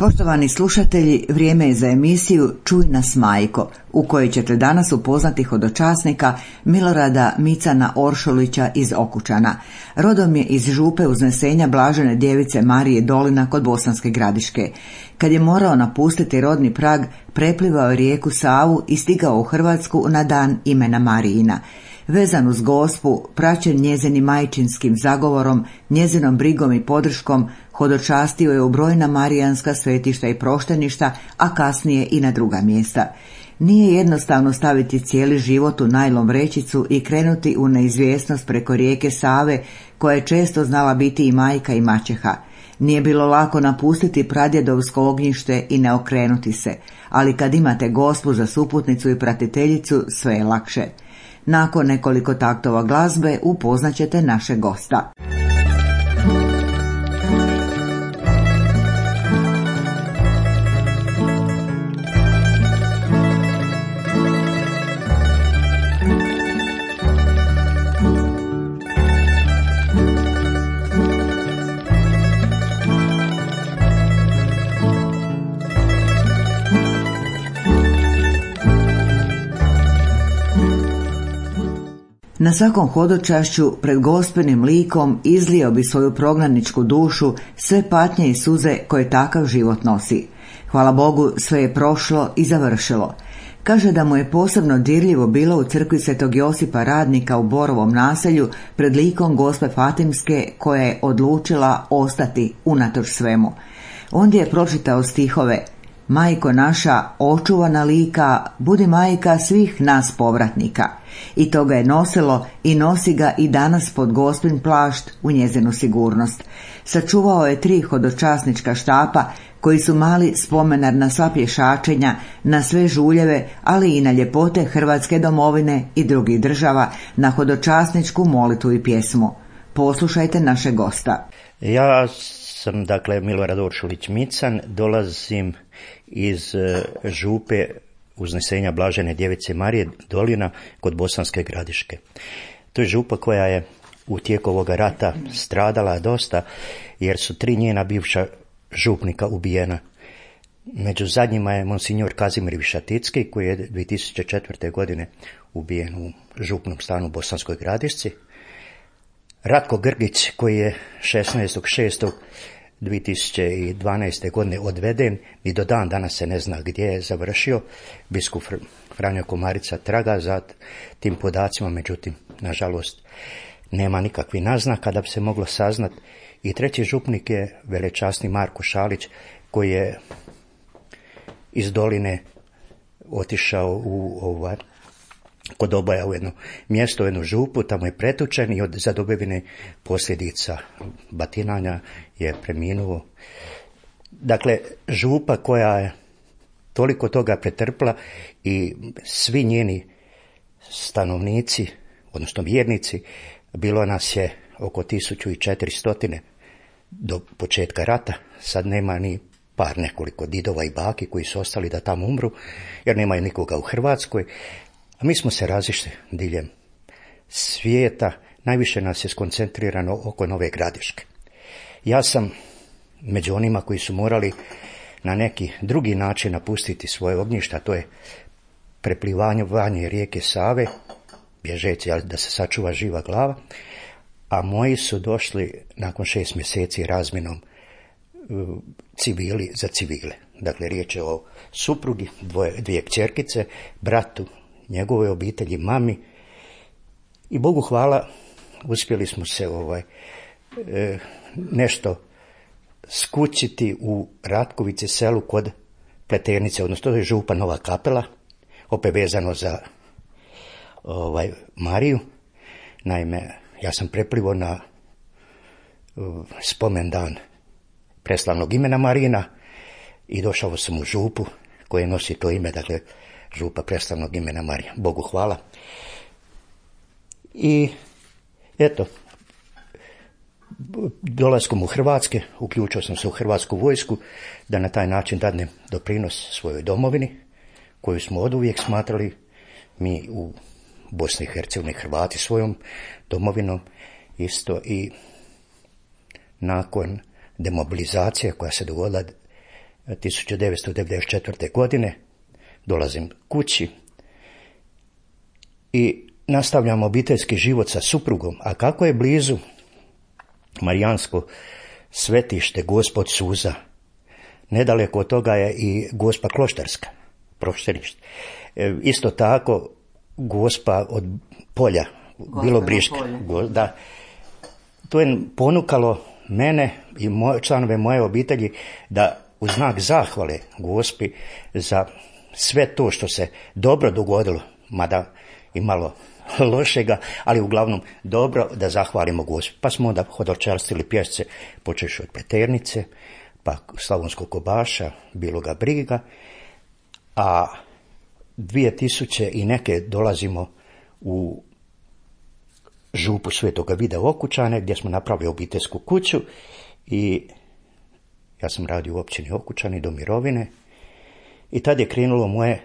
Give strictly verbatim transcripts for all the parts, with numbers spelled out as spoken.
Poštovani slušatelji, vrijeme je za emisiju Čuj nas majko, u kojoj ćete danas upoznati hodočasnika Milorada Micana Oršolića iz Okučana. Rodom je iz župe Uznesenja Blažene djevice Marije Dolina kod Bosanske Gradiške. Kad je morao napustiti rodni prag, preplivao je rijeku Savu i stigao u Hrvatsku na dan imena Marijina. Vezan uz Gospu, praćen njezinim majčinskim zagovorom, njezinom brigom i podrškom, hodočastio je u brojna marijanska svetišta i prošteništa, a kasnije i na druga mjesta. Nije jednostavno staviti cijeli život u najlon vrećicu i krenuti u neizvjesnost preko rijeke Save, koja je često znala biti i majka i maćeha. Nije bilo lako napustiti pradjedovsko ognjište i ne okrenuti se, ali kad imate Gospu za suputnicu i pratiteljicu, sve je lakše. Nakon nekoliko taktova glazbe upoznaćete našeg gosta. Na svakom hodočašću pred Gospenim likom izlio bi svoju prognaničku dušu, sve patnje i suze koje takav život nosi. Hvala Bogu, sve je prošlo i završilo. Kaže da mu je posebno dirljivo bilo u crkvi Svetog Josipa Radnika u Borovom naselju pred likom Gospe Fatimske, koja je odlučila ostati unatoč svemu. Ondje je pročitao stihove: Majko naša, očuvana lika, budi majka svih nas povratnika. I to ga je nosilo i nosi ga i danas pod Gospin plašt u njezinu sigurnost. Sačuvao je tri hodočasnička štapa koji su mali spomenar na sva pješačenja, na sve žuljeve, ali i na ljepote Hrvatske domovine i drugih država, na hodočasničku molitvu i pjesmu. Poslušajte naše gosta. Ja sam, dakle, Milorad Oršolić Mican, dolazim iz župe Uznesenja Blažene djevice Marije Dolina kod Bosanske Gradiške. To je župa koja je u tijeku ovoga rata stradala dosta, jer su tri njena bivša župnika ubijena. Među zadnjima je monsignor Kazimir Višaticki, koji je dvije tisuće četvrte. godine ubijen u župnom stanu u Bosanskoj Gradišci. Ratko Grgić, koji je šesnaestog šestog dvije tisuće dvanaeste. godine odveden i do dan danas se ne zna gdje je završio. Biskup Franjo Komarica traga za tim podacima, međutim, nažalost, nema nikakvih naznaka da bi se moglo saznat. I treći župnik je velečasni Marko Šalić, koji je iz Doline otišao u ovaj, kod Oboja u jedno mjesto, u jednu župu, tamo je pretučen i od zadobivine posljedica batinanja je preminuo. Dakle, župa koja je toliko toga pretrpla i svi njeni stanovnici, odnosno vjernici, bilo nas je oko tisuću četiristo do početka rata, sad nema ni par nekoliko didova i baki koji su ostali da tamo umru, jer nemaju nikoga u Hrvatskoj. A mi smo se razišli diljem svijeta, najviše nas je skoncentrirano oko Nove Gradiške. Ja sam među onima koji su morali na neki drugi način napustiti svoje ognjišta, to je preplivanje rijeke Save, bježeći da se sačuva živa glava, a moji su došli nakon šest mjeseci razmjenom civili za civile. Dakle, riječ je o suprugi, dvoje, dvije kćerkice, bratu, njegove obitelji, mami, i Bogu hvala uspjeli smo se ovaj e, nešto skućiti u Ratkovici, selu kod Pleternice, odnosno to je župa Nova Kapela, opet vezano za ovaj Mariju. Naime, ja sam preplivao na uh, spomendan preslavnog imena Marijina i došao sam u župu koja nosi to ime, dakle župa preslavnog imena Marija. Bogu hvala. I eto, dolaskom u Hrvatske, uključio sam se u Hrvatsku vojsku da na taj način dadnem doprinos svojoj domovini, koju smo oduvijek smatrali mi u Bosni i Hercegovini, Hrvati, svojom domovinom isto. I nakon demobilizacije koja se dogodila tisuću devetsto devedeset četvrte. godine. Dolazim kući i nastavljam obiteljski život sa suprugom. A kako je blizu marijansko svetište Gospod Suza, nedaleko od toga je i Gospa Kloštarska, prošterište. E, isto tako Gospa od Polja, Bilobriška. Da. To je ponukalo mene i moje, članove moje obitelji da u znak zahvale Gospi za sve to što se dobro dogodilo, mada i malo lošega, ali uglavnom dobro, da zahvalimo Gospi. Pa smo onda hodočastili pješce, počeš od Pleternice, pa Slavonskog Kobaša, Biloga Briga, a dvije tisuće i neke dolazimo u župu Svetoga Vida u Okučane, gdje smo napravili obiteljsku kuću i ja sam radio u općini Okučani do mirovine i tad je krenulo moje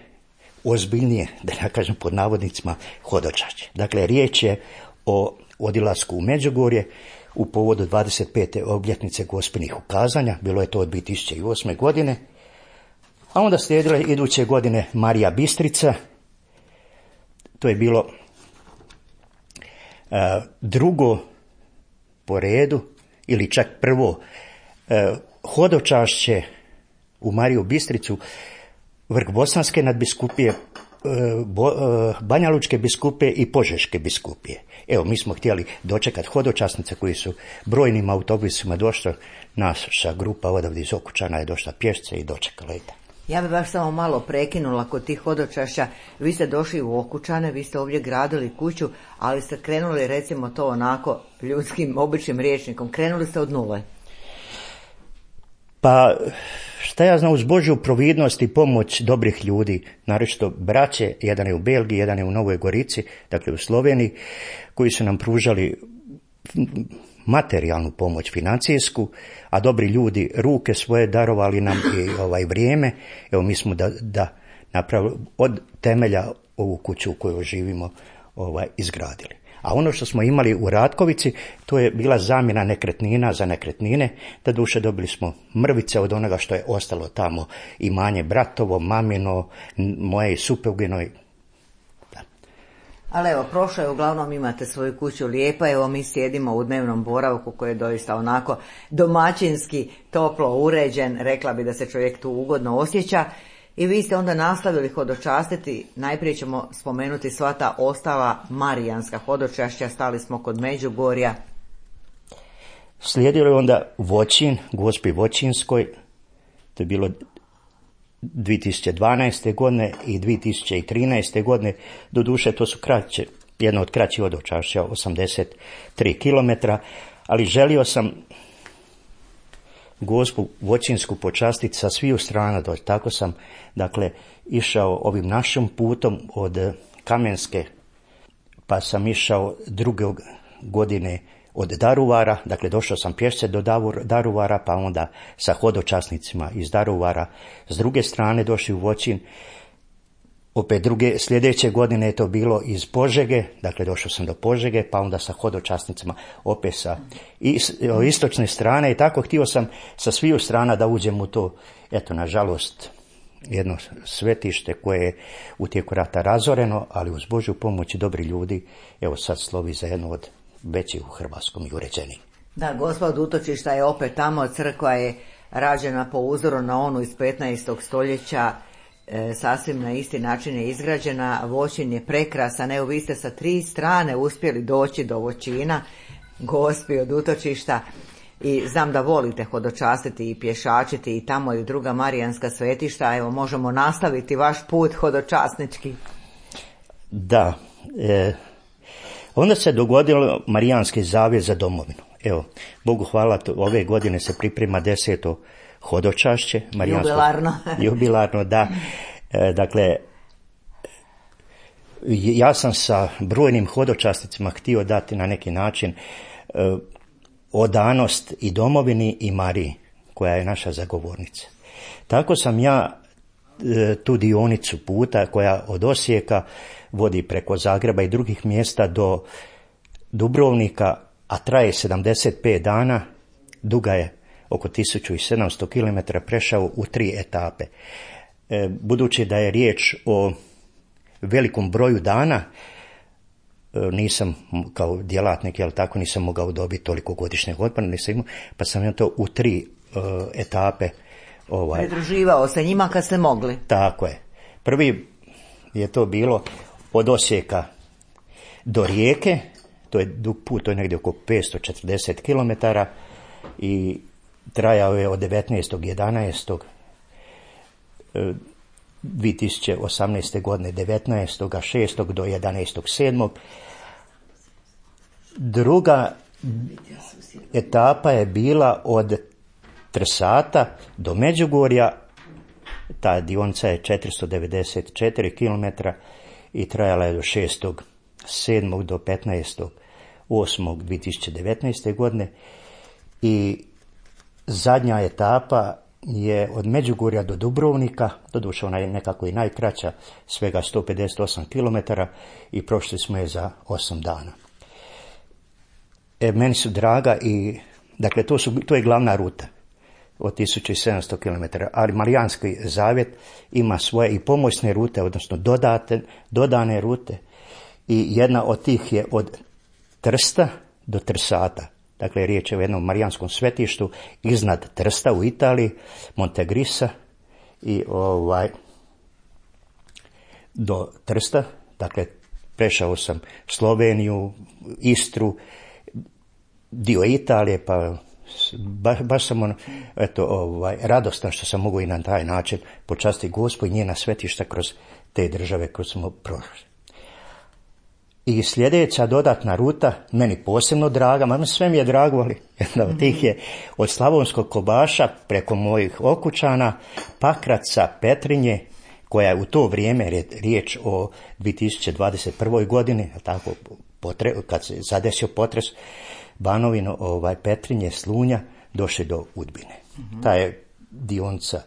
ozbiljnije, da ne kažem pod navodnicima, hodočašće. Dakle, riječ je o odilasku u Međugorje u povodu dvadeset pete obljetnice Gospinih ukazanja, bilo je to od dvije tisuće osme. godine, a onda slijedile iduće godine Marija Bistrica, to je bilo uh, drugo po redu, ili čak prvo uh, hodočašće u Mariju Bistricu, vrh Bosanske nadbiskupije, Banja Lučke biskupije i Požeške biskupije. Evo, mi smo htjeli dočekati hodočasnice koji su brojnim autobusima došli, naša grupa odavde iz Okučana je došla pješce i dočekala i. Ja bi baš samo malo prekinula kod tih hodočašća. Vi ste došli u Okučane, vi ste ovdje gradili kuću, ali ste krenuli, recimo to onako ljudskim, običnim rječnikom, krenuli ste od nule. Pa, šta ja znam, uz Božju providnost i pomoć dobrih ljudi, naročito braće, jedan je u Belgiji, jedan je u Novoj Gorici, dakle u Sloveniji, koji su nam pružali materijalnu pomoć, financijsku, a dobri ljudi ruke svoje darovali nam i ovaj vrijeme. Evo, mi smo da, da napravili od temelja ovu kuću u kojoj živimo ovaj, izgradili. A ono što smo imali u Ratkovici, to je bila zamjena nekretnina za nekretnine, da duše dobili smo mrvice od onoga što je ostalo tamo, imanje bratovo, mamino, moje i suprugino. Da. Ali evo, prošlo je, uglavnom imate svoju kuću lijepa, evo mi sjedimo u dnevnom boravku koji je doista onako domaćinski, toplo uređen, rekla bi da se čovjek tu ugodno osjeća. I vi ste onda nastavili hodočastiti, najprije ćemo spomenuti sva ta ostala marijanska hodočašća, stali smo kod Međugorja. Slijedilo je onda Voćin, Gospi Voćinskoj, to je bilo dvije tisuće dvanaeste. godine i dvije tisuće trinaeste. godine, doduše to su kraće, jedno od kraćih hodočašća, osamdeset tri kilometra, ali želio sam Gospu Voćinsku počastiti sa sviju strana, tako sam, dakle, išao ovim našim putom od Kamenske, pa sam išao druge godine od Daruvara, dakle, došao sam pješce do Daruvara, pa onda sa hodočasnicima iz Daruvara s druge strane došli u Voćin. Opet druge, sljedeće godine je to bilo iz Požege, dakle došao sam do Požege, pa onda sa hodočasnicama opet sa istočne strane i tako htio sam sa sviju strana da uđem u to, eto, nažalost, jedno svetište koje je u tijeku rata razoreno, ali uz Božju pomoć i dobri ljudi, evo sad slovi za jedno od većih u Hrvatskom i uređeniji. Da, Gospod utočišta je opet tamo, crkva je rađena po uzoru na onu iz petnaestog. stoljeća, E, sasvim na isti način je izgrađena. Voćin je prekrasan, evo vi ste sa tri strane uspjeli doći do Voćina, Gospi od utočišta, i znam da volite hodočastiti i pješačiti i tamo i druga marijanska svetišta, evo možemo nastaviti vaš put hodočasnički. Da, e, onda se dogodilo Marijanski zavjet za domovinu. Evo, Bogu hvala, to, ove godine se priprema deseto hodočašće. Jubilarno. Jubilarno, da. E, dakle, ja sam sa brojnim hodočasnicima htio dati na neki način e, odanost i domovini i Mariji, koja je naša zagovornica. Tako sam ja e, tu dionicu puta koja od Osijeka vodi preko Zagreba i drugih mjesta do Dubrovnika, a traje sedamdeset pet dana, duga je oko tisuću sedamsto kilometara prešao u tri etape. E, budući da je riječ o velikom broju dana, nisam kao djelatnik, jel tako, nisam mogao dobiti toliko godišnjeg odmora, nisam imao, pa sam ja to u tri uh, etape ovaj, pridruživao se njima kad ste mogli. Tako je. Prvi je to bilo od Osijeka do Rijeke, to je dug put, to je negdje oko petsto četrdeset kilometara i trajao je od devetnaestog jedanaestog dvije tisuće osamnaeste godine, devetnaestog šestog do jedanaestog sedmog Druga etapa je bila od Trsata do Međugorja, ta dionica je četiristo devedeset četiri kilometra i trajala je do šestog sedmog do petnaestog osmog dvije tisuće devetnaeste godine i zadnja etapa je od Međugorja do Dubrovnika, doduše ona je nekako i najkraća, svega sto pedeset osam kilometara i prošli smo je za osam dana. E, meni su draga i, dakle, to, su, to je glavna ruta od tisuću sedamsto kilometara, ali Marijanski zavjet ima svoje i pomoćne rute, odnosno dodate, dodane rute i jedna od tih je od Trsta do Trsata. Dakle, riječ je o jednom marijanskom svetištu iznad Trsta u Italiji, Montegrisa i ovaj do Trsta. Dakle, prešao sam Sloveniju, Istru, dio Italije, pa baš, baš sam on, eto, ovaj, radostan što sam mogu i na taj način počastiti Gospod i njena svetišta kroz te države koje smo prošli. I sljedeća dodatna ruta, meni posebno draga, ma sve mi je drago, ali jedna od tih je od Slavonskog Kobaša preko mojih Okučana, Pakraca, Petrinje, koja je u to vrijeme, riječ o dvije tisuće dvadeset prvoj godini, tako, potre, kad se zadesio potres, Banovino, ovaj, Petrinje, Slunja, došli do Udbine. Mm-hmm. Ta je dionica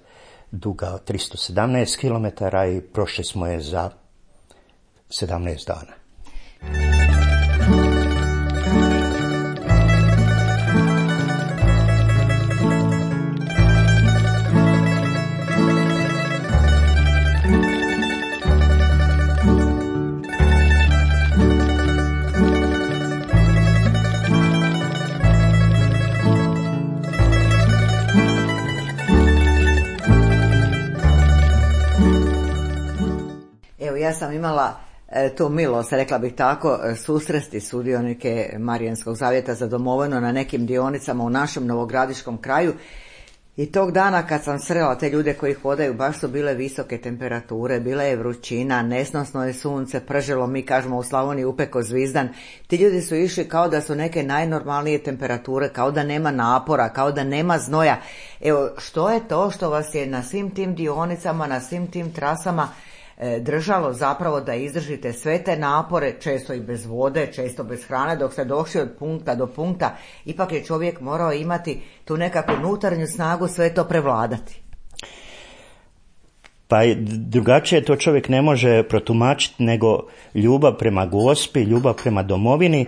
duga tristo sedamnaest kilometara i prošli smo je za sedamnaest dana. Evo, ja sam imala tu milost, rekla bih tako, susresti sudionike Marijanskog zavjeta za domovinu na nekim dionicama u našem novogradiškom kraju i tog dana kad sam srela te ljude koji hodaju, baš su bile visoke temperature, bila je vrućina, nesnosno je sunce, pržilo, mi kažemo u Slavoniji upeko zvizdan. Ti ljudi su išli kao da su neke najnormalnije temperature, kao da nema napora, kao da nema znoja. Evo, što je to što vas je na svim tim dionicama, na svim tim trasama držalo zapravo da izdržite sve te napore, često i bez vode, često bez hrane, dok ste došli od punkta do punkta, ipak je čovjek morao imati tu nekakvu unutarnju snagu sve to prevladati. Pa drugačije to čovjek ne može protumačiti nego ljubav prema Gospi, ljubav prema domovini,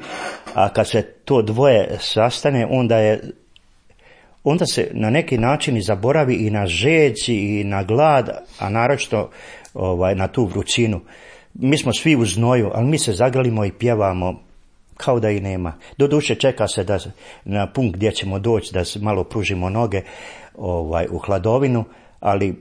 a kad se to dvoje sastane, onda je onda se na neki način i zaboravi i na žeđ i na glad, a naročito ovaj, na tu vrućinu. Mi smo svi u znoju, ali mi se zagrlimo i pjevamo kao da i nema. Doduše čeka se da na punkt gdje ćemo doći da se malo pružimo noge ovaj, u hladovinu, ali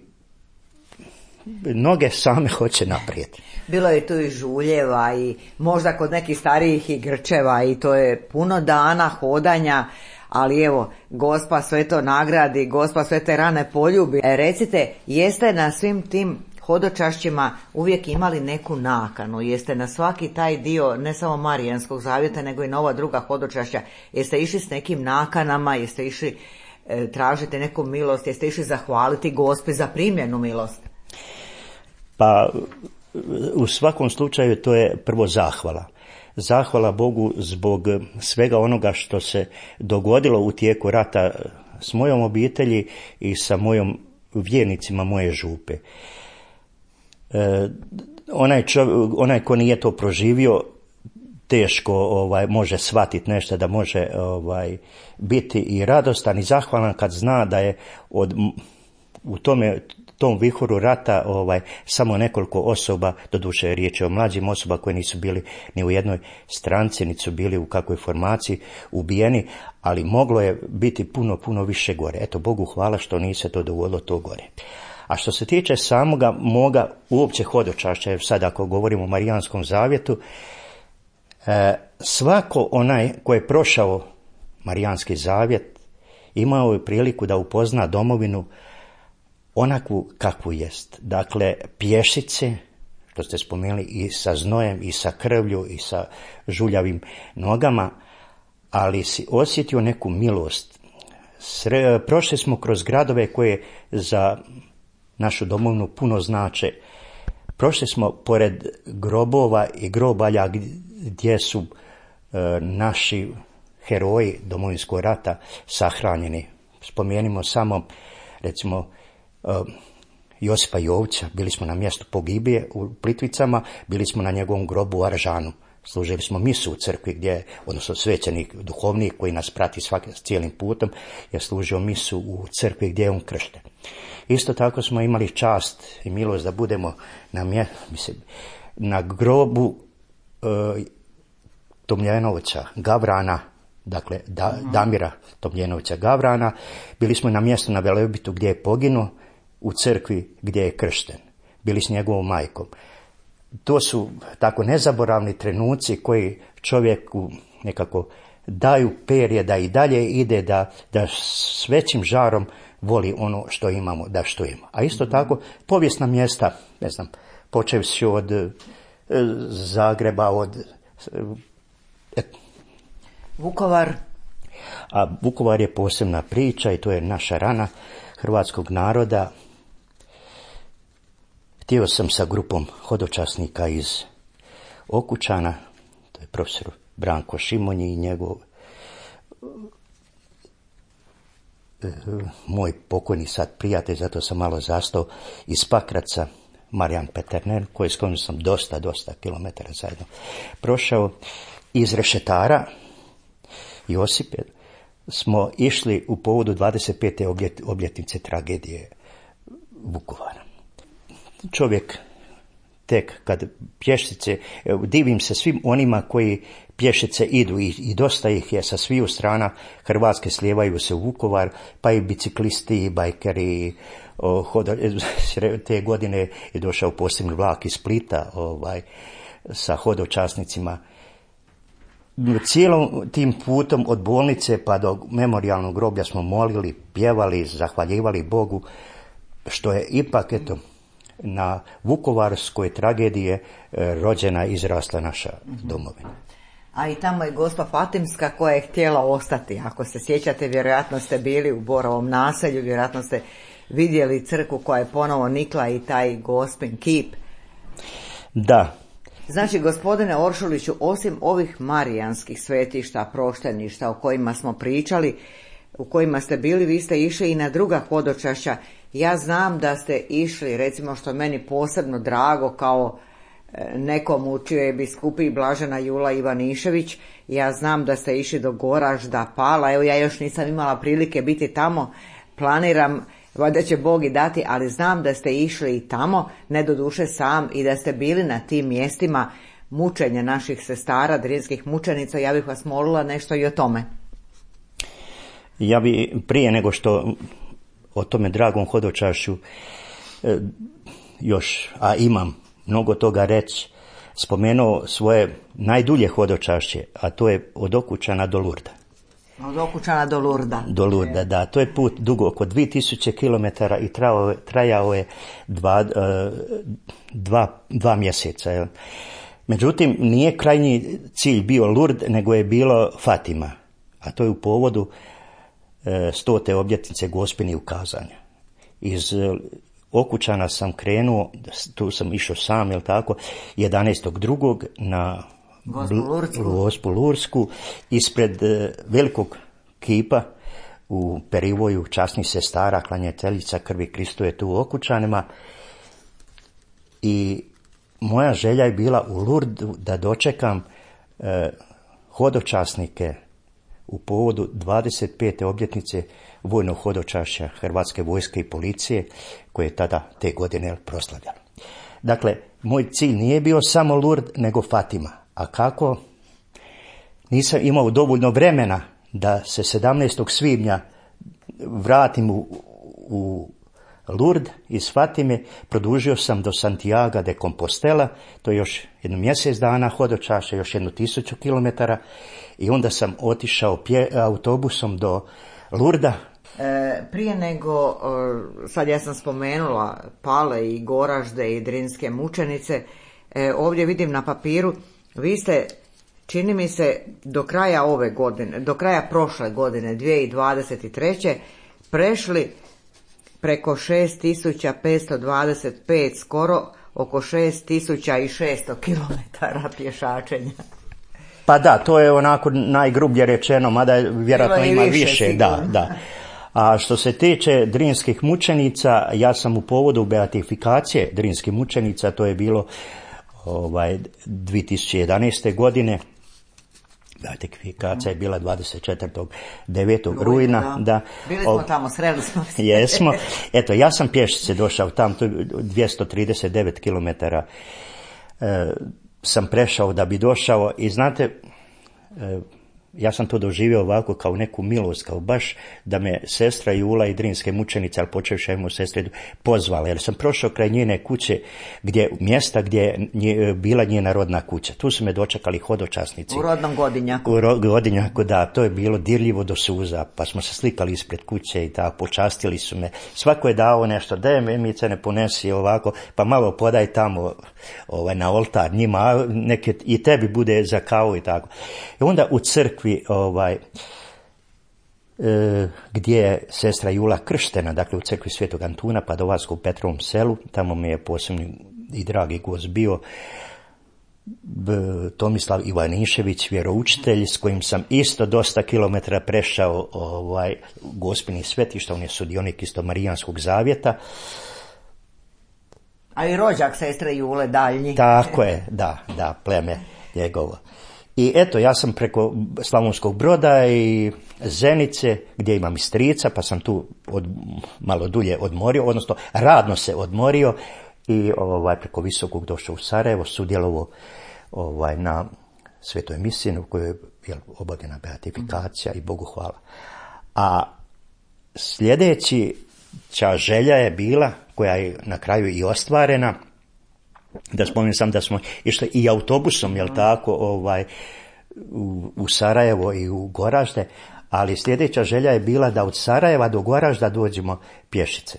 noge same hoće naprijed. Bilo je tu i žuljeva i možda kod nekih starijih i grčeva i to je puno dana hodanja, ali evo, Gospa sve to nagradi, Gospa sve te rane poljubi. E, recite, jeste na svim tim hodočašćima uvijek imali neku nakanu? Jeste na svaki taj dio, ne samo Marijanskog zavjeta, nego i na ova druga hodočašća, jeste išli s nekim nakanama, jeste išli e, tražiti neku milost, jeste išli zahvaliti Gospi za primljenu milost? Pa, u svakom slučaju to je prvo zahvala. Zahvala Bogu zbog svega onoga što se dogodilo u tijeku rata s mojom obitelji i sa mojom vjernicima moje župe. E, onaj, čov, onaj ko nije to proživio, teško ovaj, može shvatiti nešto, da može ovaj, biti i radostan i zahvalan kad zna da je od, u tome, tom vihoru rata ovaj, samo nekoliko osoba, doduše je riječ o mlađim osoba koji nisu bili ni u jednoj stranci, niti su bili u kakvoj formaciji ubijeni, ali moglo je biti puno, puno više gore. Eto, Bogu hvala što nije se to dogodilo to gore. A što se tiče samoga moga uopće hodočašća, jer sad ako govorimo o Marijanskom zavjetu, e, svako onaj ko je prošao Marijanski zavjet imao je priliku da upozna domovinu onakvu kakvu jest. Dakle, pješice, što ste spomenuli, i sa znojem, i sa krvlju, i sa žuljavim nogama, ali si osjetio neku milost. Sre, prošli smo kroz gradove koje za našu domovinu puno znače. Prošli smo pored grobova i grobalja gdje su e, naši heroji Domovinskog rata sahranjeni. Spomenimo samo, recimo, e, Josipa Jovića, bili smo na mjestu pogibije u Plitvicama, bili smo na njegovom grobu u Aržanu. Služili smo misu u crkvi gdje, odnosno svećenik, duhovnik koji nas prati svaki, s cijelim putom, je služio misu u crkvi gdje je on kršten. Isto tako smo imali čast i milost da budemo na, mje, mislim, na grobu e, Tomljenovića Gavrana, dakle da, Damira Tomljenovića Gavrana. Bili smo na mjestu na Velebitu gdje je poginuo, u crkvi gdje je kršten. Bili s njegovom majkom. To su tako nezaboravni trenuci koji čovjeku nekako daju perje da i dalje ide, da, da s većim žarom voli ono što imamo, da što ima. A isto tako povijesna mjesta, ne znam, počevši od e, Zagreba, od e, Vukovar. A Vukovar je posebna priča i to je naša rana hrvatskog naroda. Htio sam sa grupom hodočasnika iz Okučana, to je profesor Branko Šimonji i njegov moj pokojni sad prijatelj, zato sam malo zastao, iz Pakraca, Marijan Peterner, koji s kojim sam dosta, dosta kilometara zajedno prošao. Iz Rešetara, Josipe, smo išli u povodu dvadeset pete obljetnice tragedije Vukovara. Čovjek tek kad pješice, divim se svim onima koji pješice idu i, i dosta ih je sa sviju strana Hrvatske, slijevaju se u Vukovar, pa i biciklisti, i bajkeri. O, hoda, te godine je došao posebni vlak iz Splita ovaj, sa hodočasnicima. Cijelom tim putom od bolnice pa do memorijalnog groblja smo molili, pjevali, zahvaljivali Bogu što je ipak, eto, na vukovarskoj tragedije rođena i izrasla naša domovina. A i tamo je Gospa Fatimska koja je htjela ostati. Ako se sjećate, vjerojatno ste bili u Borovom naselju, vjerojatno ste vidjeli crkvu koja je ponovo nikla i taj Gospin kip. Da. Znači, gospodine Oršuliću, osim ovih marijanskih svetišta, prošteništa o kojima smo pričali, u kojima ste bili, vi ste išli i na druga hodočašća. Ja znam da ste išli, recimo, što meni posebno drago, kao nekom u čijoj biskupiji Blažena Jula Ivanišević, ja znam da ste išli do Goražda, Pala, evo ja još nisam imala prilike biti tamo, planiram, valjda će Bog i dati, ali znam da ste išli i tamo, ne doduše sam, i da ste bili na tim mjestima mučenja naših sestara, drinskih mučenica. Ja bih vas molila nešto i o tome. Ja bi prije nego što o tome dragom hodočašću e, još, a imam mnogo toga reći, spomenuo svoje najdulje hodočašće, a to je od Okučana do Lurda. Od Okučana do Lurda. Do Lurda, da. To je put dugo oko dvije tisuće kilometara i trajao, trajao je dva, dva, dva mjeseca. Jel? Međutim, nije krajnji cilj bio Lurd, nego je bilo Fatima, a to je u povodu stote obljetnice Gospini ukazanja. Iz Okučana sam krenuo, tu sam išao sam, jel tako, jedanaestog drugog na Gospu Lursku, ispred velikog kipa u Perivoju časnih sestara, klanjateljica krvi Kristove tu u Okučanima. I moja želja je bila u Lurdu da dočekam e, hodočasnike u povodu dvadeset pete obljetnice vojnog hodočašća Hrvatske vojske i policije koje je tada te godine proslavljalo. Dakle, moj cilj nije bio samo Lurd, nego Fatima. A kako? Nisam imao dovoljno vremena da se sedamnaestog svibnja vratim u, u Lurd iz Fatime, produžio sam do Santiago de Compostela, to je još jedno mjesec dana hodočašća, još jednu tisuću kilometara, i onda sam otišao pje, autobusom do Lurda. E, prije nego, e, sad ja sam spomenula Pale i Goražde i Drinske mučenice, e, ovdje vidim na papiru, vi ste, čini mi se, do kraja ove godine, do kraja prošle godine, dvije tisuće dvadeset treće prešli preko šest tisuća petsto dvadeset pet, skoro oko šest tisuća šesto kilometara pješačenja. Pa da, to je onako najgrublje rečeno, mada vjerojatno ima više, više da, da. A što se tiče drinskih mučenica, ja sam u povodu beatifikacije drinskih mučenica, to je bilo ovaj, dvije tisuće jedanaeste. godine, beatifikacija je bila dvadeset četvrtog devetog rujna. Da. Da. Bili smo o, tamo, sreli smo se. Jesmo. Eto, ja sam pješice došao tam, dvjesto trideset devet kilometara e, sam prešao da bi došao i znate, e, ja sam to doživio ovako kao neku milost, kao baš da me sestra Jula i drinske mučenice, ali počevši ajmo sestre, pozvala, jer sam prošao kraj njene kuće, gdje, mjesta gdje je nje, bila njena rodna kuća. Tu su me dočekali hodočasnici. U rodnom Godinjaku. U ro, Godinjaku, da, to je bilo dirljivo do suza, pa smo se slikali ispred kuće i tako, počastili su me. Svako je dao nešto, daj me, Mice, ne ponesi ovako, pa malo podaj tamo ovaj, na oltar njima, neke i tebi bude za kavu i tako. I onda u crkvi ovaj, e, gdje je sestra Jula krštena, dakle u crkvi Svetog Antuna Padovačkog u Petrovom selu, tamo mi je posebni i dragi gost bio B, Tomislav Ivanišević, vjeroučitelj, s kojim sam isto dosta kilometara prešao ovaj, Gospini svetišta, on je sudionik isto Marijanskog zavjeta. A i rođak sestre Jule daljnji. Tako je, da, da, pleme njegovo. I eto, ja sam preko Slavonskog Broda i Zenice, gdje imam i strica, pa sam tu od, malo dulje odmorio, odnosno radno se odmorio i ovaj, preko Visokog došao u Sarajevo, sudjelovao ovaj, na svetoj misiji u kojoj je obavljena beatifikacija i Bogu hvala. A sljedeći ča želja je bila, koja je na kraju i ostvarena, da spomenem sam da smo išli i autobusom, jel tako, ovaj, u, u Sarajevo i u Goražde, ali sljedeća želja je bila da od Sarajeva do Goražda dođemo pješice.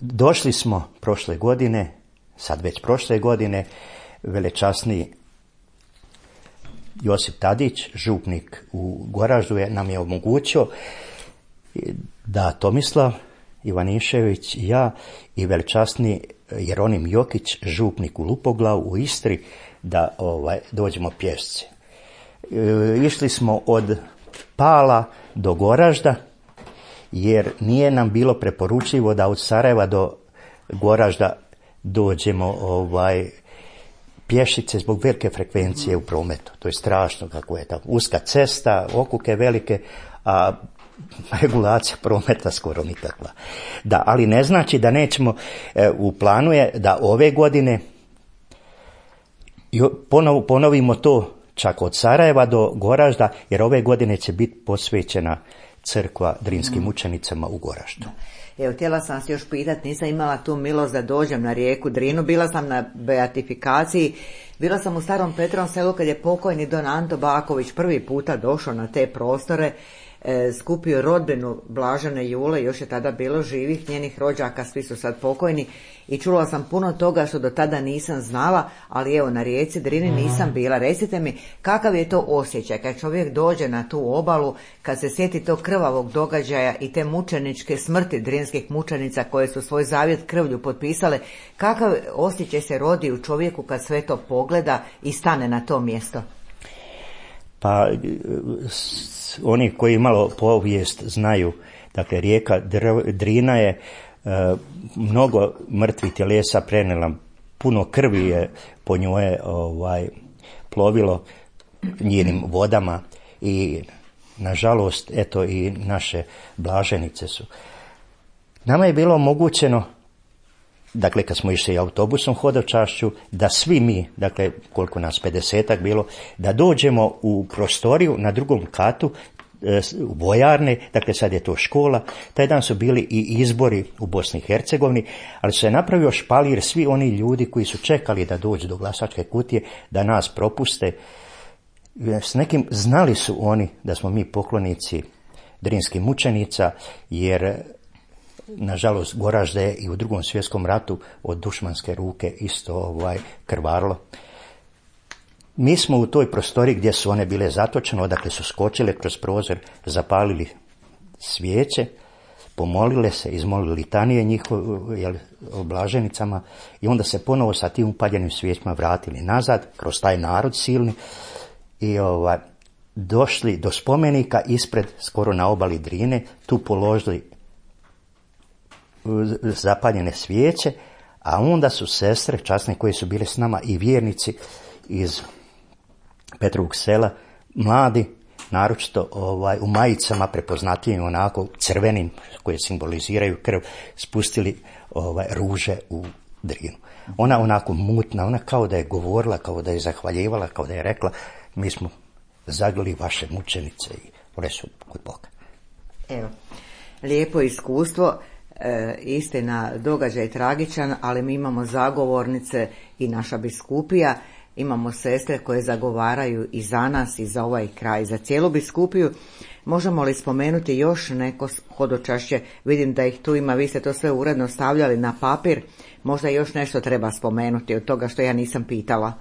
Došli smo prošle godine, sad već prošle godine, velečasni Josip Tadić, župnik u Goraždu, je, nam je omogućio da Tomislav Ivanišević i ja i velečasni Jeronim Jokić, župnik u Lupoglavu u Istri, da ovaj, dođemo pješci. E, išli smo od Pala do Goražda, jer nije nam bilo preporučljivo da od Sarajeva do Goražda dođemo ovaj, pješice zbog velike frekvencije u prometu. To je strašno kako je tamo. Uska cesta, okuke velike, a regulacija prometa skoro nikakva. Da, ali ne znači da nećemo, e, u planu je da ove godine ponov, ponovimo to čak od Sarajeva do Goražda, jer ove godine će biti posvećena crkva Drinskim mučenicama u Goraždu. Evo, htjela sam vas još pitati, nisam imala tu milost da dođem na rijeku Drinu, bila sam na beatifikaciji, bila sam u Starom Petrovom selu kad je pokojni don Anto Baković prvi puta došao na te prostore. e, skupio rodbinu Blažene Jule, još je tada bilo živih njenih rođaka, svi su sad pokojni, i čula sam puno toga što do tada nisam znala, ali evo na rijeci Drini nisam bila. Recite mi, kakav je to osjećaj kad čovjek dođe na tu obalu, kad se sjeti tog krvavog događaja i te mučeničke smrti drinskih mučenica koje su svoj zavjet krvlju potpisale, kakav osjećaj se rodi u čovjeku kad sve to pogleda i stane na to mjesto? Pa oni koji malo povijest znaju, dakle rijeka Drina je e, mnogo mrtvih tjelesa prenijela, puno krvi je po njoj ovaj, plovilo njenim vodama i nažalost eto i naše blaženice su. Nama je bilo omogućeno, dakle kad smo išli autobusom hodočašću, da svi mi, dakle koliko nas pedesetak bilo, da dođemo u prostoriju na drugom katu u vojarne, dakle sad je to škola. Taj dan su bili i izbori u Bosni i Hercegovini, ali se je napravio špalir, svi oni ljudi koji su čekali da dođu do glasačke kutije, da nas propuste. S nekim znali su oni da smo mi poklonici drinskih mučenica, jer nažalost Goražde je i u drugom svjetskom ratu od dušmanske ruke isto ovaj, krvarilo. Mi smo u toj prostoriji gdje su one bile zatočene, odakle su skočile kroz prozor, zapalili svijeće, pomolile se, izmolili litanije njihove o blaženicama i onda se ponovo sa tim upaljenim svijećima vratili nazad kroz taj narod silni i ovaj, došli do spomenika ispred, skoro na obali Drine, tu položili zapaljene svijeće, a onda su sestre časne koje su bile s nama i vjernici iz Petrovog sela, mladi, naročito ovaj, u majicama prepoznatljivim onako crvenim koje simboliziraju krv, spustili ovaj, ruže u Drinu. Ona onako mutna, ona kao da je govorila, kao da je zahvaljivala, kao da je rekla mi smo zagrli vaše mučenice i one su kod Boga. Evo, lijepo iskustvo. E, istina, događaj tragičan, ali mi imamo zagovornice i naša biskupija, imamo sestre koje zagovaraju i za nas i za ovaj kraj, za cijelu biskupiju. Možemo li spomenuti još neko hodočašće? Vidim da ih tu ima, vi ste to sve uredno stavljali na papir, možda još nešto treba spomenuti od toga što ja nisam pitala.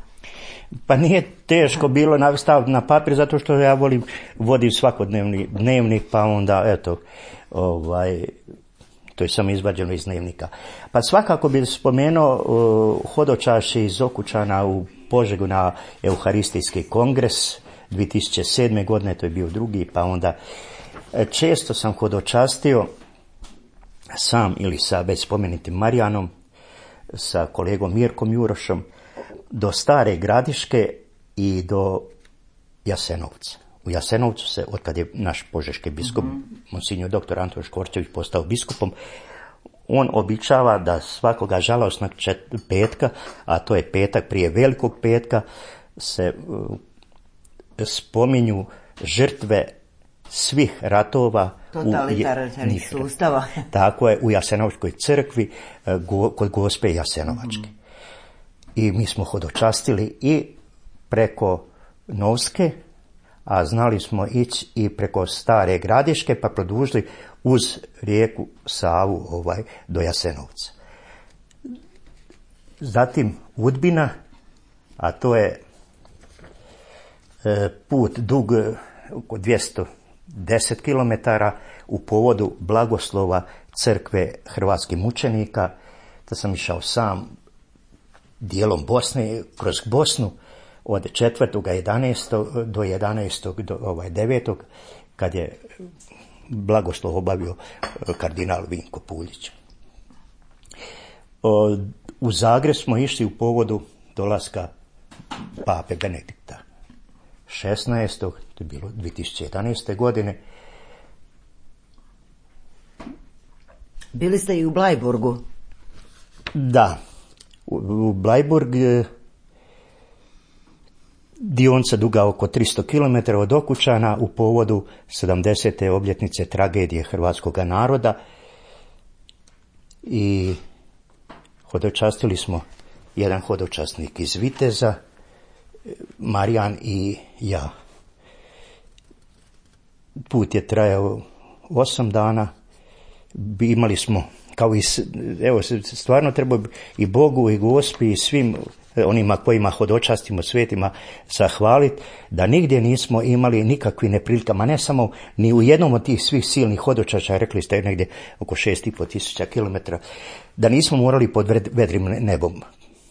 Pa nije teško bilo staviti na papir, zato što ja volim, vodim svakodnevni dnevnik, pa onda eto, ovaj, to je samo izvađeno iz dnevnika. Pa svakako bih spomenuo uh, hodočašće iz Okučana u Požegu na Euharistijski kongres dvije tisuće sedme. godine, to je bio drugi, pa onda često sam hodočastio sam ili sa već spomenutim Marijanom, sa kolegom Mirkom Jurošom, do Stare Gradiške i do Jasenovca. U Jasenovcu se, otkad je naš požeški biskup, mm-hmm. monsignor doktor Anton Škorčević postao biskupom, on običava da svakoga žalosnog čet- petka, a to je petak prije Velikog petka, se uh, spominju žrtve svih ratova totalitarnih sustava. Tako je, u Jasenovskoj crkvi uh, go, kod Gospe Jasenovačke. Mm-hmm. I mi smo hodočastili i preko Novske, a znali smo ići i preko Stare Gradiške, pa produžili uz rijeku Savu ovaj, do Jasenovca. Zatim Udbina, a to je e, put dug oko dvjesto deset kilometara u povodu blagoslova crkve hrvatskih mučenika. Da sam išao sam dijelom Bosne, kroz Bosnu, od četvrtog jedanaestog do jedanaestog do ovaj devetog kad je blagoslov obavio kardinal Vinko Puljić. U Zagreb smo išli u povodu dolaska pape Benedikta šesnaestog. To je bilo dvije tisuće jedanaeste. godine. Bili ste i u Blajburgu? Da, u, u Blajburg dionica duga oko tristo kilometara od Okučana u povodu sedamdesete obljetnice tragedije hrvatskog naroda i hodočastili smo jedan hodočasnik iz Viteza, Marijan i ja. Put je trajao osam dana, imali smo, kao i, evo, stvarno treba i Bogu i Gospi i svim onima kojima hodočastimo svetima zahvaliti, da nigdje nismo imali nikakvi neprilikama, ne samo ni u jednom od tih svih silnih hodočašća, rekli ste negdje oko šest i pol tisuća kilometara, da nismo morali pod vedrim nebom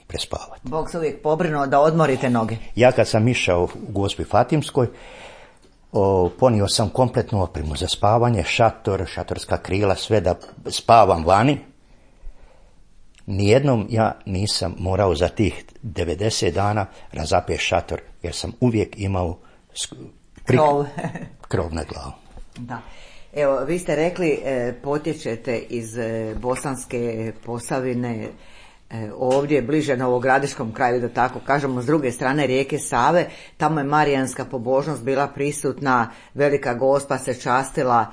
prespavati. Bog se uvijek pobrinuo da odmorite noge. Ja kad sam išao u Gospi Fatimskoj, O, ponio sam kompletnu opremu za spavanje, šator, šatorska krila, sve da spavam vani. Nijednom ja nisam morao za tih devedeset dana razapeti šator, jer sam uvijek imao prik... krov. krov na glavu. Da. Evo, vi ste rekli, e, potječete iz e, Bosanske Posavine, ovdje bliže Novogradiškom kraju, da tako kažemo, s druge strane rijeke Save. Tamo je marijanska pobožnost bila prisutna, Velika Gospa se častila.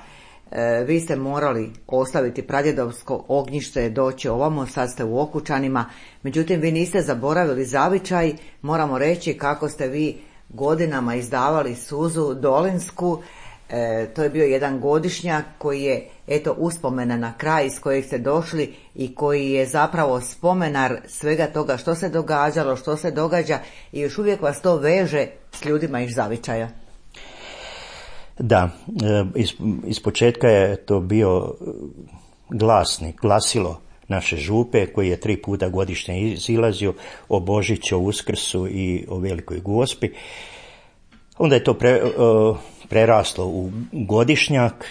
E, vi ste morali ostaviti pradjedovsko ognjište, doći ovamo, sad ste u Okučanima. Međutim, vi niste zaboravili zavičaj. Moramo reći kako ste vi godinama izdavali suzu dolinsku. E, to je bio jedan godišnjak koji je, eto, uspomena na kraj iz kojeg ste došli i koji je zapravo spomenar svega toga što se događalo, što se događa, i još uvijek vas to veže s ljudima iz zavičaja. Da, iz, iz početka je to bio glasnik, glasilo naše župe, koji je tri puta godišnje izilazio o Božiću, o Uskrsu i o Velikoj Gospi. Onda je to pre, preraslo u godišnjak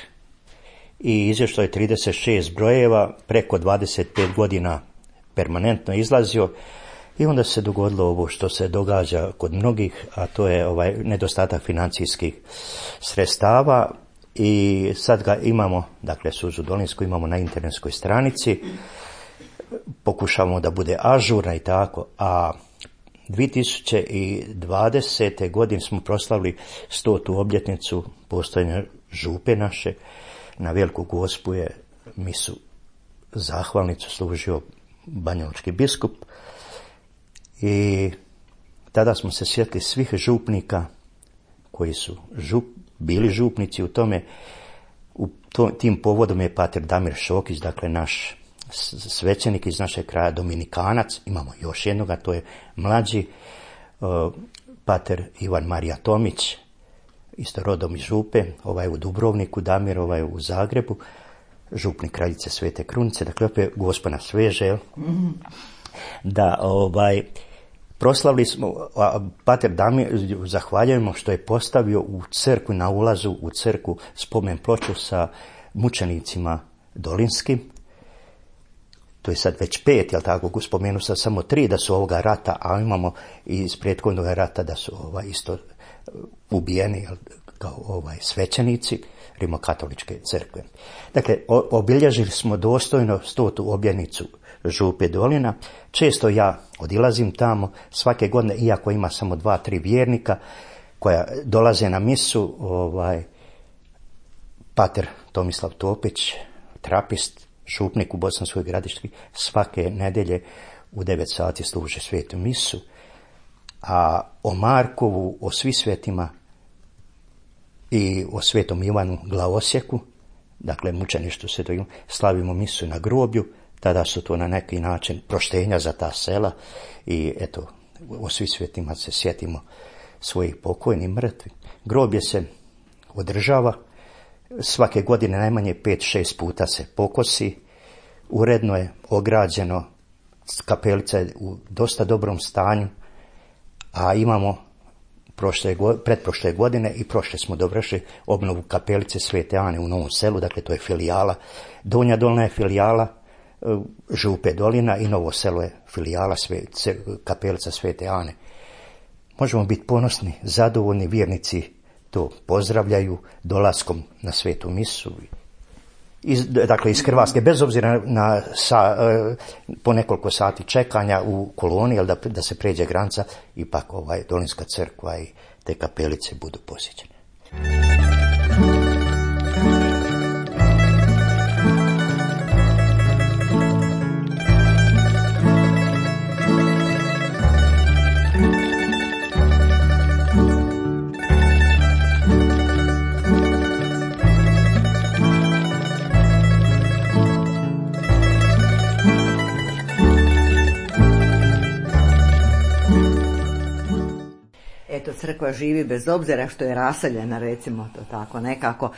i izašlo je trideset šest brojeva, preko dvadeset pet godina permanentno izlazio, i onda se dogodilo ovo što se događa kod mnogih, a to je ovaj nedostatak financijskih sredstava, i sad ga imamo, dakle suzu dolinsku imamo na internetskoj stranici, pokušavamo da bude ažurna i tako, a dvije tisuće dvadesete godine smo proslavili stotu obljetnicu postojanja župe naše. Na Veliku Gospu je misu zahvalnicu služio banjalučki biskup, i tada smo se sjetili svih župnika koji su žup, bili župnici u tome. U to, tim povodom je pater Damir Šokić, dakle naš svećenik iz našeg kraja, dominikanac. Imamo još jednoga, to je mlađi uh, pater Ivan Marija Tomić, isto rodom iz Župe, ovaj u Dubrovniku, Damir ovaj u Zagrebu, župnik kraljice Svete Krunice, dakle opet Gospa nas sveže, mm-hmm. da ovaj proslavili smo, a pater Damir zahvaljujemo što je postavio u crkvu, na ulazu u crkvu, spomen ploču sa mučenicima dolinskim. To je sad već pet, jel tako, spomenu sam samo tri da su ovoga rata, a imamo i iz prethodnog rata da su ovaj isto ubijeni, jel, kao ovaj svećenici rimokatoličke crkve. Dakle, obilježili smo dostojno stotu obljetnicu župe Dolina. Često ja odilazim tamo svake godine, iako ima samo dva, tri vjernika koja dolaze na misu, ovaj pater Tomislav Topić, trapist, župnik u Bosanskoj Gradiški, svake nedjelje u devet sati služe svetu misu, a o Markovu, o svi svetima i o svetom Ivanu Glavosjeku, dakle mučeništvu svetog Ivana, slavimo misu na groblju. Tada su to na neki način proštenja za ta sela, i eto, o svi svetima se sjetimo svojih pokojnih mrtvi. Groblje se održava, svake godine najmanje pet šest puta se pokosi, uredno je ograđeno, kapelica je u dosta dobrom stanju, a imamo prošle, pretprošle godine i prošle smo dovršili obnovu kapelice Svete Ane u Novom Selu, dakle to je filijala, Donja Dolna je filijala župe Dolina i Novo Selo je filijala sve, kapelica Svete Ane. Možemo biti ponosni, zadovoljni, vjernici to pozdravljaju dolaskom na svetu misu. Iz, dakle, iz Hrvatske, bez obzira na sa, po nekoliko sati čekanja u koloni, ali da, da se pređe granica, ipak ovaj Dolinska crkva i te kapelice budu posjećene. crkva živi bez obzira što je raseljena, recimo to tako nekako.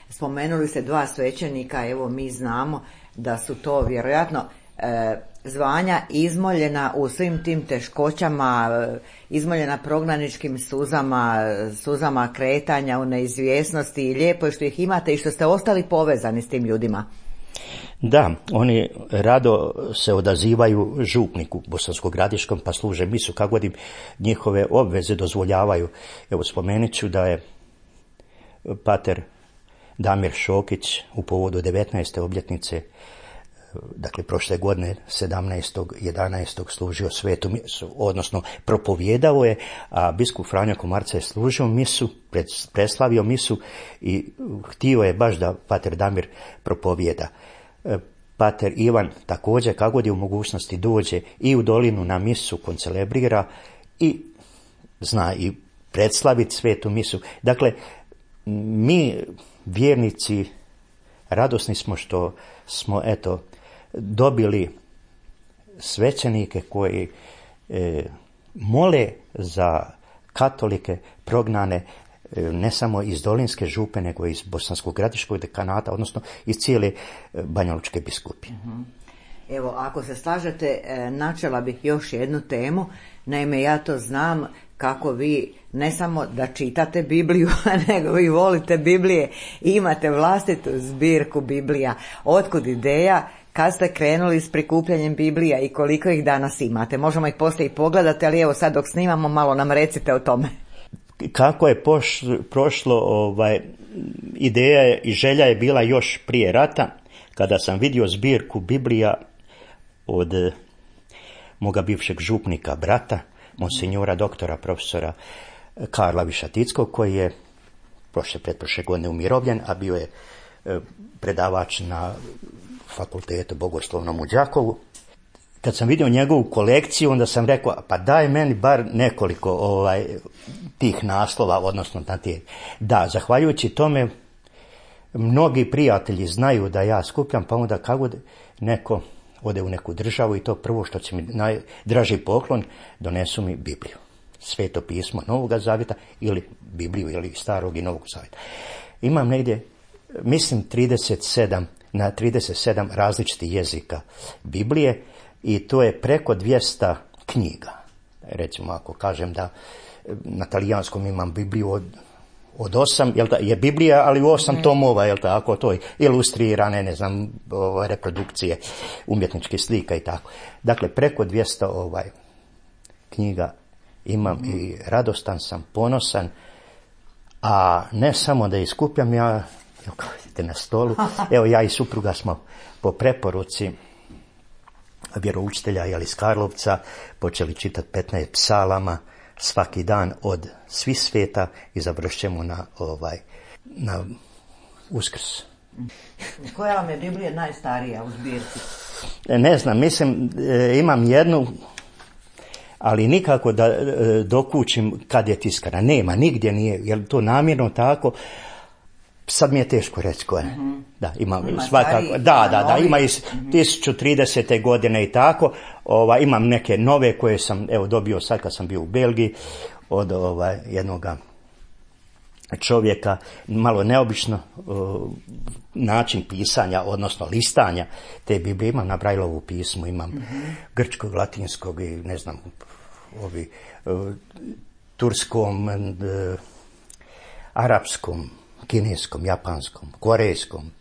Spomenuli ste dva svećenika, evo mi znamo da su to vjerojatno e, zvanja izmoljena u svim tim teškoćama, e, izmoljena prognaničkim suzama, suzama kretanja u neizvjesnosti i lijepo je što ih imate i što ste ostali povezani s tim ljudima. Da, oni rado se odazivaju župniku Bosansko-Gradiškom pa služe misu kako god im njihove obveze dozvoljavaju. Evo spomenut ću da je pater Damir Šokić u povodu devetnaeste obljetnice, dakle prošle godine sedamnaestog jedanaestog služio svetu misu, odnosno propovjedao je, a biskup Franjo Komarca je služio misu, preslavio misu i htio je baš da pater Damir propovjeda. Pater Ivan također kako god je u mogućnosti dođe i u dolinu na misu, koncelebrira i zna i predslaviti svetu misu. Dakle, mi vjernici radosni smo što smo eto dobili svećenike koji e, mole za katolike prognane e, ne samo iz Dolinske župe, nego iz Bosanskog Gradiškog dekanata, odnosno iz cijele Banjalučke biskupije. Uh-huh. Evo, ako se slažete, načela bih još jednu temu. Naime, ja to znam kako vi ne samo da čitate Bibliju, nego vi volite Biblije i imate vlastitu zbirku Biblija. Otkud ideja? Kad ste krenuli s prikupljanjem Biblija i koliko ih danas imate? Možemo ih poslije i pogledati, ali evo sad dok snimamo malo nam recite o tome. Kako je poš, prošlo, ovaj, ideja je i želja je bila još prije rata, kada sam vidio zbirku Biblija od eh, moga bivšeg župnika brata, monsinjora doktora profesora Karla Višatickog, koji je prošle pretprošle godine umirovljen, a bio je eh, predavač na fakultetu bogoslovnom u Đakovu. Kad sam vidio njegovu kolekciju, onda sam rekao, pa daj meni bar nekoliko ovaj, tih naslova, odnosno na tih. Da, zahvaljujući tome, mnogi prijatelji znaju da ja skupljam, pa onda kako neko ode u neku državu i to prvo što će mi najdraži poklon, donesu mi Bibliju. Sveto pismo Novoga Zavjeta ili Bibliju ili Starog i Novog Zavjeta. Imam negdje, mislim, trideset sedam, na trideset sedam različitih jezika Biblije i to je preko dvjesto knjiga. Recimo, ako kažem da na talijanskom imam Bibliju od Od osam, jel ta, je Biblija, ali u osam mm. tomova, jel tako, to je ilustrirane, ne znam, ovaj, reprodukcije, umjetničke slika i tako. Dakle, preko dvjesto ovaj, knjiga imam mm. i radostan sam, ponosan, a ne samo da iskupljam, ja, evo kao vidite na stolu, evo ja i supruga smo po preporuci vjeroučitelja jel, iz Karlovca počeli čitati petnaest psalama, svaki dan od svih sveta i završćemo na ovaj na Uskrs. Koja vam je Biblija najstarija u zbirci? Ne znam, mislim e, imam jednu, ali nikako da e, dokučim kad je tiskana. Nema, nigdje nije, jer to namjerno tako. Sad mi je teško reći koje. Mm-hmm. Da, ima, ima svakako, stari, da, da, da, ima iz mm-hmm. tisuću tridesete godine i tako. Ova, imam neke nove koje sam evo dobio sad kad sam bio u Belgiji od ovaj, jednoga čovjeka, malo neobično uh, način pisanja, odnosno listanja te Biblije. Imam na Brajlovu pismu, imam mm-hmm. grčkog, latinskog i ne znam, ovi, uh, turskom, uh, arapskom, kineskom, japanskom, korejskom.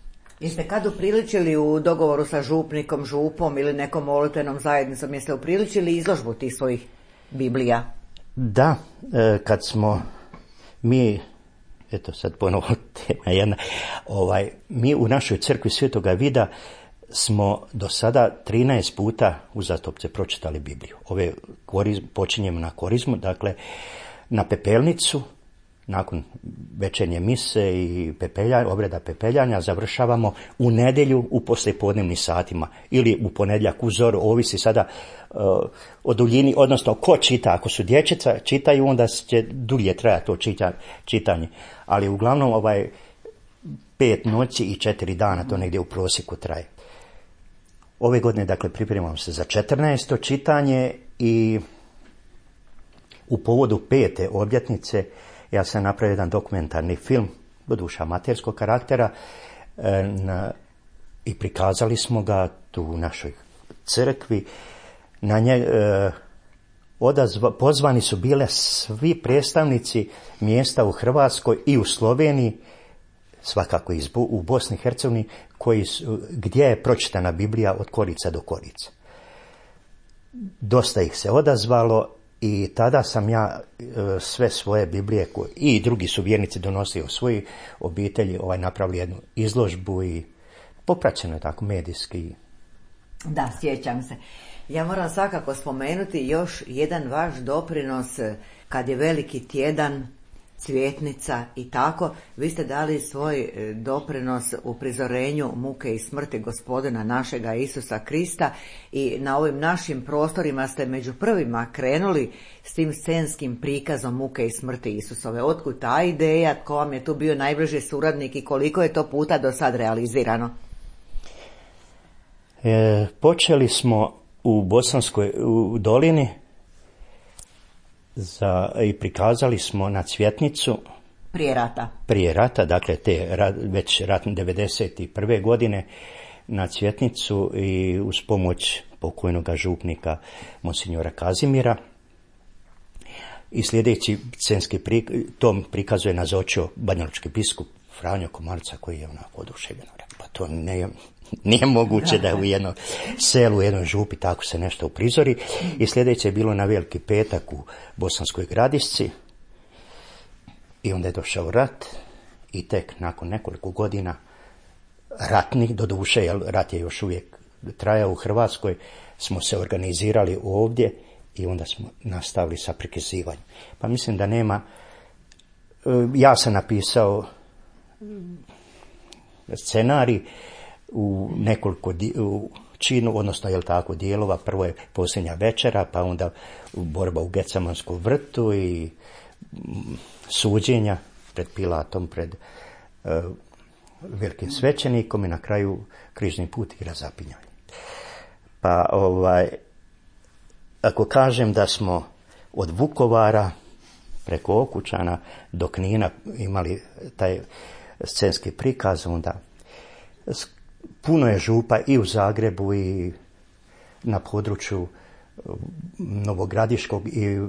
Jeste kad upriličili u dogovoru sa župnikom, župom ili nekom molitvenom zajednicom, jeste upriličili izložbu tih svojih Biblija? Da, kad smo mi, eto sad ponovo tema jedna, ovaj, mi u našoj crkvi Svetoga Vida smo do sada trinaest puta uzastopce pročitali Bibliju. Ove korizm, počinjemo na korizmu, dakle na pepelnicu, nakon večernje mise i pepelja, obreda pepeljanja završavamo u nedjelju u poslijepodnevnim satima ili u ponedjeljak u zoru, ovisi sada uh, o duljini, odnosno ko čita. Ako su dječica čitaju, onda će dulje trajati to čita, čitanje, ali uglavnom ovaj pet noći i četiri dana to negdje u prosjeku traje. Ove godine dakle pripremam se za četrnaesto čitanje i u povodu pete obljetnice ja sam napravio jedan dokumentarni film, doduše amaterskog karaktera, na, i prikazali smo ga tu u našoj crkvi. Na nje, e, odazva, pozvani su bile svi predstavnici mjesta u Hrvatskoj i u Sloveniji, svakako iz, u Bosni i Hercegovini, koji su, gdje je pročitana Biblija od korica do korica. Dosta ih se odazvalo i tada sam ja e, sve svoje Biblije koje, i drugi su vjernici donosili u svoji obitelji, ovaj, napravili jednu izložbu i popraćeno je tako medijski. Da, sjećam se. Ja moram svakako spomenuti još jedan vaš doprinos kad je veliki tjedan, cvjetnica i tako. Vi ste dali svoj doprinos u prizorenju muke i smrti Gospodina našega Isusa Krista i na ovim našim prostorima ste među prvima krenuli s tim scenskim prikazom muke i smrti Isusove. Otkud ta ideja, tko vam je tu bio najbliži suradnik i koliko je to puta do sad realizirano? E, počeli smo u Bosanskoj u dolini za, i prikazali smo na Cvjetnicu. Prije rata. Prije rata, dakle te već ratne devedeset prve godine na Cvjetnicu i uz pomoć pokojnog župnika monsignora Kazimira. I sljedeći scenski prikaz, tom prikazuje nazočio banjalučki biskup Franjo Komarica koji je onako oduševljeno rekao, pa to ne, nije moguće da u jednom selu, u jednoj župi tako se nešto uprizori. I sljedeće je bilo na Veliki petak u Bosanskoj Gradišci i onda je došao rat i tek nakon nekoliko godina ratnih, doduše, jer rat je još uvijek trajao u Hrvatskoj, smo se organizirali ovdje i onda smo nastavili sa prikazivanjem. Pa mislim da nema, ja sam napisao scenarij u nekoliko u činu, odnosno je li tako dijelova, prvo je Posljednja večera, pa onda borba u Gecemanskom vrtu i suđenja pred Pilatom, pred uh, velikim svećenikom i na kraju križni put i razapinjanje. Pa ovaj, ako kažem da smo od Vukovara preko Okučana do Knina imali taj scenski prikaz, onda puno je župa i u Zagrebu i na području Novogradiškog i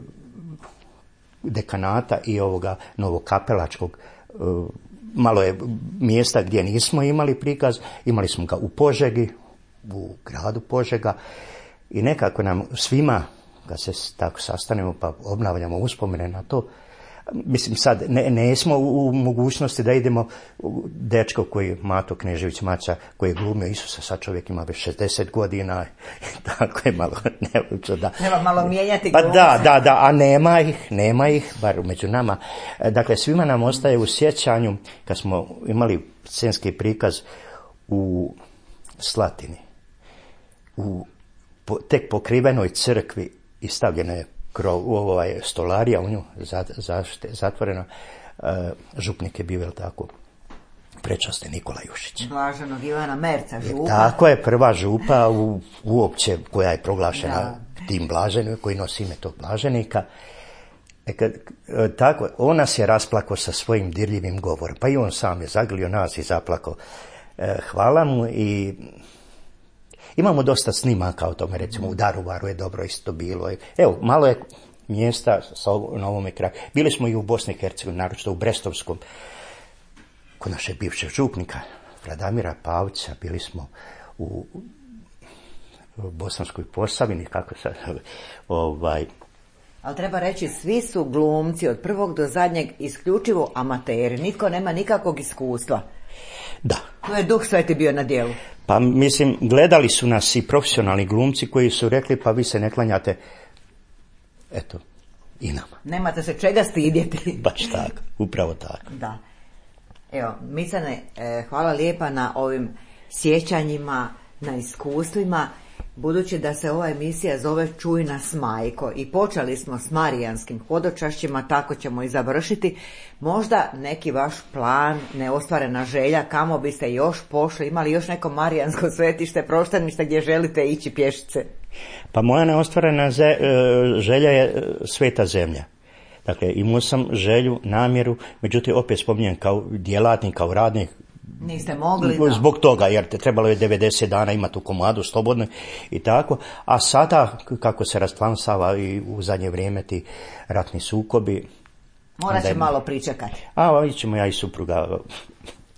dekanata i ovoga Novokapelačkog. Malo je mjesta gdje nismo imali prikaz, imali smo ga u Požegi, u gradu Požega i nekako nam svima, kad se tako sastanemo pa obnavljamo uspomene na to, mislim sad ne, ne smo u, u mogućnosti da idemo u dečko koji Mato Knežević Maca koji je glumio Isusa, sad čovjek ima već šezdeset godina, tako je malo nevučno da. Treba malo mijenjati pa da, da, da, a nema ih, nema ih, bar među nama. Dakle, svima nam ostaje u sjećanju kad smo imali scenski prikaz u Slatini, u po, tek pokrivenoj crkvi i stavljena je krov, ovaj, stolarija u nju zašte, zatvorena, uh, župnik je bio tako prečasni Nikola Jušić. Blaženog Ivana Merca, župa. Tako je, prva župa u, uopće koja je proglašena da. Tim blaženim, koji nosi ime tog blaženika. E kad, tako, on nas je rasplakao sa svojim dirljivim govorom, pa i on sam je zagrlio nas i zaplakao. E, hvala mu i imamo dosta snimaka o tome, recimo u Daruvaru je dobro isto bilo. Evo, malo je mjesta na ovome kraju. Bili smo i u Bosni i Hercegovini, naročito u Brestovskom, kod našeg bivšeg župnika, Radamira Pavića, bili smo u, u Bosanskoj Posavini, kako sad, ovaj... Ali treba reći, svi su glumci od prvog do zadnjeg isključivo amateri, nitko nema nikakvog iskustva. Da. Tu je Duh Sveti bio na djelu. Pa mislim, gledali su nas i profesionalni glumci koji su rekli pa vi se ne klanjate, eto, i nama. Nemate se čega stidjeti. Baš tako, upravo tako. Da. Evo, Micane, hvala lijepa na ovim sjećanjima, na iskustvima. Budući da se ova emisija zove Čuj nas majko i počeli smo s marijanskim hodočašćima, tako ćemo i završiti. Možda neki vaš plan, neostvarena želja, kamo biste još pošli, imali još neko marijansko svetište, proštenište gdje želite ići pješice? Pa moja neostvarena želja je Sveta zemlja. Dakle, imao sam želju, namjeru, međutim, opet spominjem kao djelatnik, kao radnik, niste mogli, da. Zbog toga, jer te trebalo je devedeset dana imati u komadu slobodno i tako, a sada, kako se rasplamsava i u zadnje vrijeme ti ratni sukobi, morat će malo pričekati. A, vidjet ćemo ja i supruga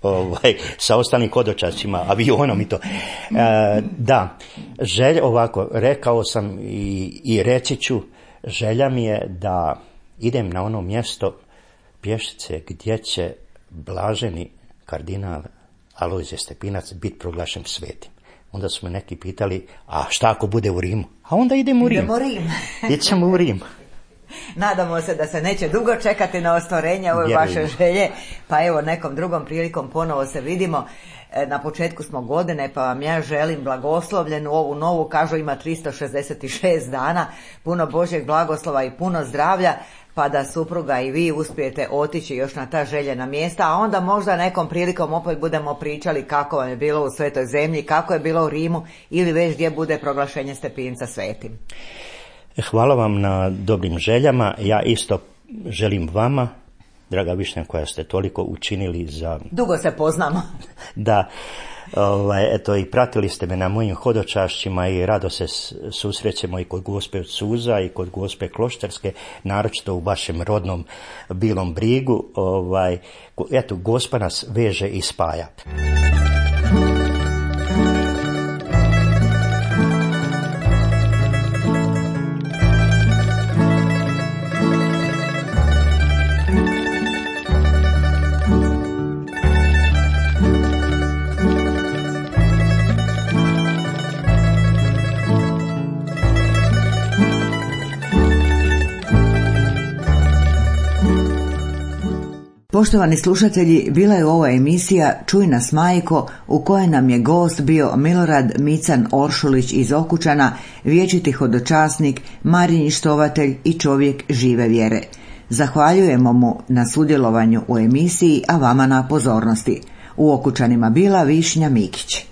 ovaj, sa ostalim hodočascima, avionom i to. E, da, želja, ovako, rekao sam i, i reći ću, želja mi je da idem na ono mjesto Pješice gdje će blaženi kardinal Alojzije Stepinac biti proglašen svetim. Onda su me neki pitali, a šta ako bude u Rimu? A onda idemo u Rim. Idemo u Rim. Idemo u Rim. Nadamo se da se neće dugo čekati na ostvarenje ove vaše želje, pa evo nekom drugom prilikom ponovo se vidimo. Na početku smo godine, pa vam ja želim blagoslovljenu ovu novu, kažu ima tristo šezdeset šest dana, puno Božjeg blagoslova i puno zdravlja, pa da supruga i vi uspijete otići još na ta željena mjesta, a onda možda nekom prilikom opet budemo pričali kako vam je bilo u Svetoj zemlji, kako je bilo u Rimu ili već gdje bude proglašenje Stepinca svetim. Hvala vam na dobrim željama. Ja isto želim vama, draga Višnja, koja ste toliko učinili za... Dugo se poznamo. Da, ovaj, eto, i pratili ste me na mojim hodočašćima i rado se susrećemo i kod Gospe od Suza i kod Gospe Kloštarske, naročito u vašem rodnom Bilom Brigu. Ovaj, eto, Gospa nas veže i spaja. Poštovani slušatelji, bila je ovo emisija Čuj nas majko, u kojoj nam je gost bio Milorad Mican Oršulić iz Okučana, vječiti hodočasnik, Marinji štovatelj i čovjek žive vjere. Zahvaljujemo mu na sudjelovanju u emisiji, a vama na pozornosti. U Okučanima bila Višnja Mikić.